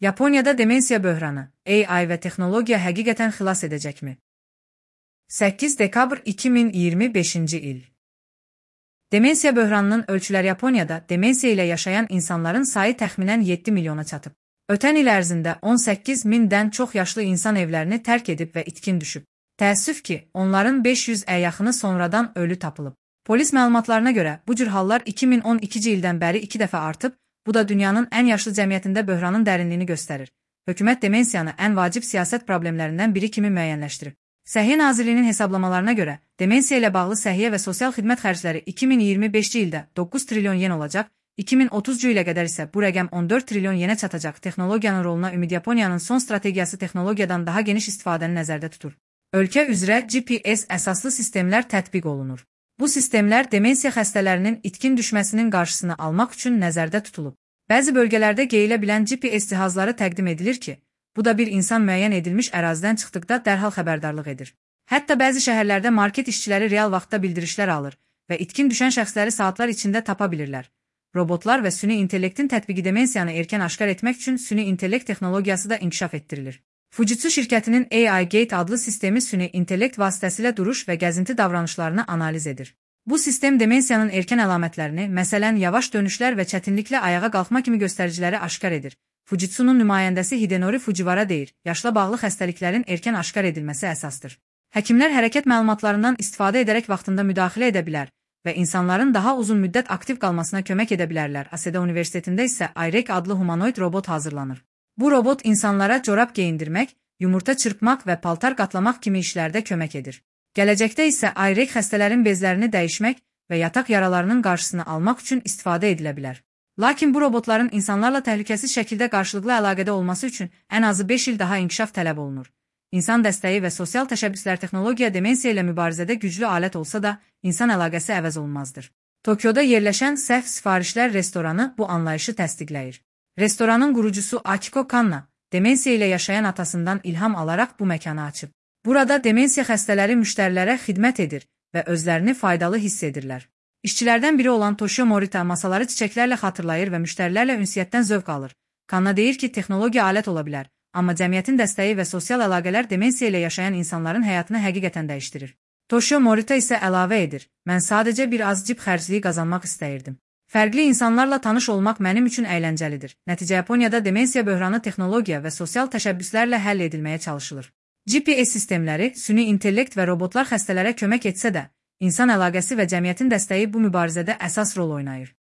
Yaponiyada demensiya böhranı, AI və texnologiya həqiqətən xilas edəcəkmi? 8 dekabr 2025-ci il. Demensiya böhranının ölçüləri Yaponiyada demensiya ilə yaşayan insanların sayı təxminən 7 milyona çatıb. Ötən il ərzində 18 mindən çox yaşlı insan evlərini tərk edib və itkin düşüb. Təəssüf ki, onların 500-ə yaxını sonradan ölü tapılıb. Polis məlumatlarına görə bu cür hallar 2012-ci ildən bəri 2 dəfə artıb, bu da dünyanın ən yaşlı cəmiyyətində böhranın dərinliyini göstərir. Hökumət demensiyanı ən vacib siyasət problemlərindən biri kimi müəyyənləşdirib. Səhiyyə Nazirliyinin hesablamalarına görə, demensiya ilə bağlı səhiyyə və sosial xidmət xərcləri 2025-ci ildə 9 trilyon yen olacaq, 2030-cu ilə qədər isə bu rəqəm 14 trilyon yenə çatacaq. Texnologiyanın roluna Ümid Yaponiyanın son strategiyası texnologiyadan daha geniş istifadəni nəzərdə tutur. Ölkə üzrə GPS əsaslı sistemlər tətbiq olunur. Bu sistemlər demensiya xəstələrinin itkin düşməsinin qarşısını almaq üçün nəzərdə tutulub. Bəzi bölgələrdə geyilə bilən GPS cihazları təqdim edilir ki, bu da bir insan müəyyən edilmiş ərazidən çıxdıqda dərhal xəbərdarlıq edir. Hətta bəzi şəhərlərdə market işçiləri real vaxtda bildirişlər alır və itkin düşən şəxsləri saatlar içində tapa bilirlər. Robotlar və süni intellektin tətbiqi demensiyanı erkən aşkar etmək üçün süni intellekt texnologiyası da inkişaf etdirilir. Fujitsu şirkətinin AI Gate adlı sistemi süni intellekt vasitəsilə duruş və gəzinti davranışlarını analiz edir. Bu sistem demensiyanın erkən əlamətlərini, məsələn, yavaş dönüşlər və çətinliklə ayağa qalxma kimi göstəriciləri aşkar edir. Fujitsu'nun nümayəndəsi Hidenori Fujiwara deyir, yaşla bağlı xəstəliklərin erkən aşkar edilməsi əsasdır. Həkimlər hərəkət məlumatlarından istifadə edərək vaxtında müdaxilə edə bilər və insanların daha uzun müddət aktiv qalmasına kömək edə bilərlər. Aseda Universitetində isə Airek adlı humanoid robot hazırlanır. Bu robot insanlara corab geyindirmək, yumurta çırpmaq və paltar qatlamaq kimi işlərdə kömək edir. Gələcəkdə isə Airek xəstələrin bezlərini dəyişmək və yataq yaralarının qarşısını almaq üçün istifadə edilə bilər. Lakin bu robotların insanlarla təhlükəsiz şəkildə qarşılıqlı əlaqədə olması üçün ən azı 5 il daha inkişaf tələb olunur. İnsan dəstəyi və sosial təşəbbüslər texnologiya demensiya ilə mübarizədə güclü alət olsa da, insan əlaqəsi əvəz olunmazdır. Tokyoda yerləşən səhv sifarişlər restoranı bu anlayışı təsdiqləyir. Restoranın qurucusu Akiko Kanna, demensiya ilə yaşayan atasından ilham alaraq bu məkanı açıb. Burada demensiya xəstələri müştərilərə xidmət edir və özlərini faydalı hiss edirlər. İşçilərdən biri olan Toshio Morita masaları çiçəklərlə xatırlayır və müştərilərlə ünsiyyətdən zövq alır. Kanna deyir ki, texnologiya alət ola bilər, amma cəmiyyətin dəstəyi və sosial əlaqələr demensiya ilə yaşayan insanların həyatını həqiqətən dəyişdirir. Toshio Morita isə əlavə edir, mən sadəcə bir az cib xərcliyi qazanmaq istəyirdim. Fərqli insanlarla tanış olmaq mənim üçün əyləncəlidir. Nəticə Yaponiyada demensiya böhranı texnologiya və sosial təşəbbüslərlə həll edilməyə çalışılır. GPS sistemləri, süni intellekt və robotlar xəstələrə kömək etsə də, insan əlaqəsi və cəmiyyətin dəstəyi bu mübarizədə əsas rol oynayır.